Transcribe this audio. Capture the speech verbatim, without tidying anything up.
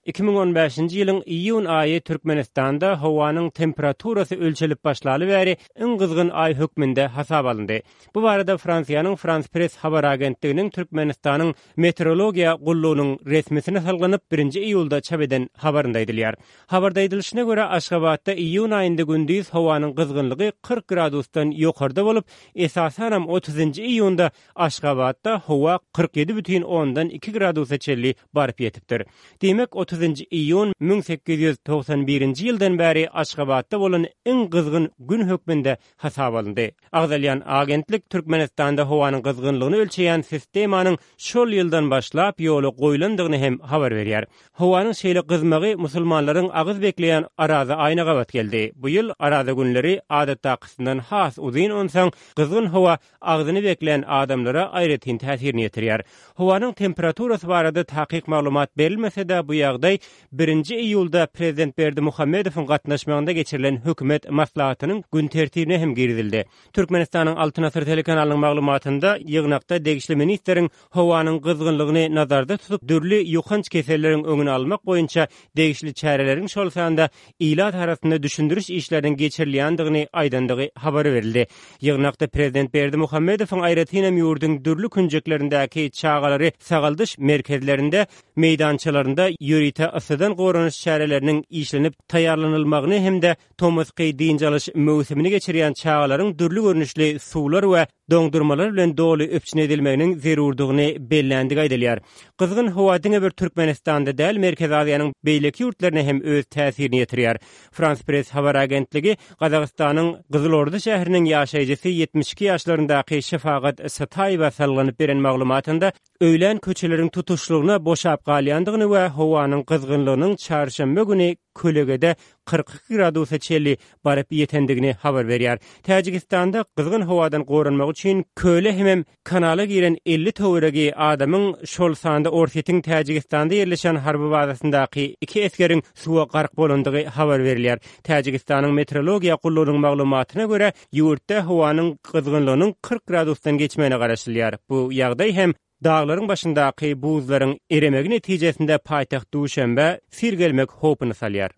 Iki müň on bäşinji ýylyň iýun aýy Türkmenistanda howanyň temperaturasy ölçelip başlaly bäri iň gyzgyn aý hökmünde hasaba alyndy. Bu barada Fransiýanyň Frans Press habar agentliginiň Türkmenistanyň Meteorologiýa gullugynyň resmisine salgylanyp birinji iýulda çap eden habarynda aýdylýar. Habarda aýdylyşyna görä, Aşgabatda iýun aýynda gündiz howanyň gyzgynlygy kyrk gradusdan ýokarda bolup, esasanam otuzynjy iýunda Aşgabatda howa kyrk ýedi bütin ondan iki gradusa çenli baryp ýetipdir. Diýmek, otuzynjy iýun müň sekiz ýüz togsan birinji ýyldan bäri Aşgabatda bolan iň gyzgyn gün hökmünde hasaba alyndy. Agzalýan agentlik Türkmenistanda howanyň gyzgynlygyny ölçeýän sistemanyň şol ýyldan başlap ýola goýlandygyny hem habar berýär. Howanyň şeýle gyzmagy musulmanlaryň agyz bekleýän Araza aýyna gabat geldi. Bu ýyl Araza günleri adatdakysyndan has uzyn onsoň gyzgyn howa agzyny beklän adamlara aýratyn täsirini ýetirýär. Howanyň temperaturasy barada takyk maglumat berilmese-de bu ýagdaý birinji iýulda Prezident Berdimuhamedowyň gatnaşmagynda geçirilen hökümet maslahatynyň gün tertibine hem girizildi. Türkmenistanyň Altyn Asyr telekanalynyň maglumatynda ýygnakda degişli ministriň howanyň gyzgynlygyny nazarda tutup dürli ýokanç keselleriň öňüni almak boýunça degişli çäreleriň şol sanda ilat arasynda düşündiriş işleriniň geçirilýändigini aýdandygy habar berildi. Ýygnakda Prezident Berdimuhamedowyň aýratyn hem ýurduň dürli künjeklerindäki çagalary sagaldyş merkezlerinde meýdançalarynda ýörite yssydan goranyş çäreleriniň işlenip taýýarlanylmagyny hem-de tomusky dynç alyş möwsümini geçirýän çagalaryň dürli görnüşli suwlar we doňdurmalar bilen doly üpjün edilmeginiň zerurdygyny bellendigi aýdylýar. Gyzgyn howa diňe bir Türkmenistanda däl, Merkezi Aziýanyň beýleki ýurtlaryna hem öz täsirini ýetirýär. Frans Press habar agentligi Gazagystanyň Gyzylorda şäheriniň ýaşaýjysy ýetmiş iki ýaşlaryndaky Şefagat Sataýewa salgylanyp beren maglumatynda öýlän köçeleriň tutuşlygyna boşap galýandygyny we howanyň gyzgynlygynyň çarşenbe güni kölegede kyrk iki gradusa çenli baryp ýetendigini habar berýär. Täjigistanda gyzgyn howadan goranmak üçin köle hemem kanala giren elli töweregi adamyň şol sanda Orsýetiň Täjigistanda ýerleşen harby bazasyndaky iki esgeriň suwa gark bolandygy habar berilýär. Täjigistanyň meteorologiýa gullugynyň maglumatyna görä, ýurtda howanyň gyzgynlygynyň kyrk gradusdan geçmegine garaşylýar. Bu ýagdaý hem daglaryň başyndaky buzlaryň eremegi netijesinde paýtagt Duşenbe sil gelmek howpuny salýar.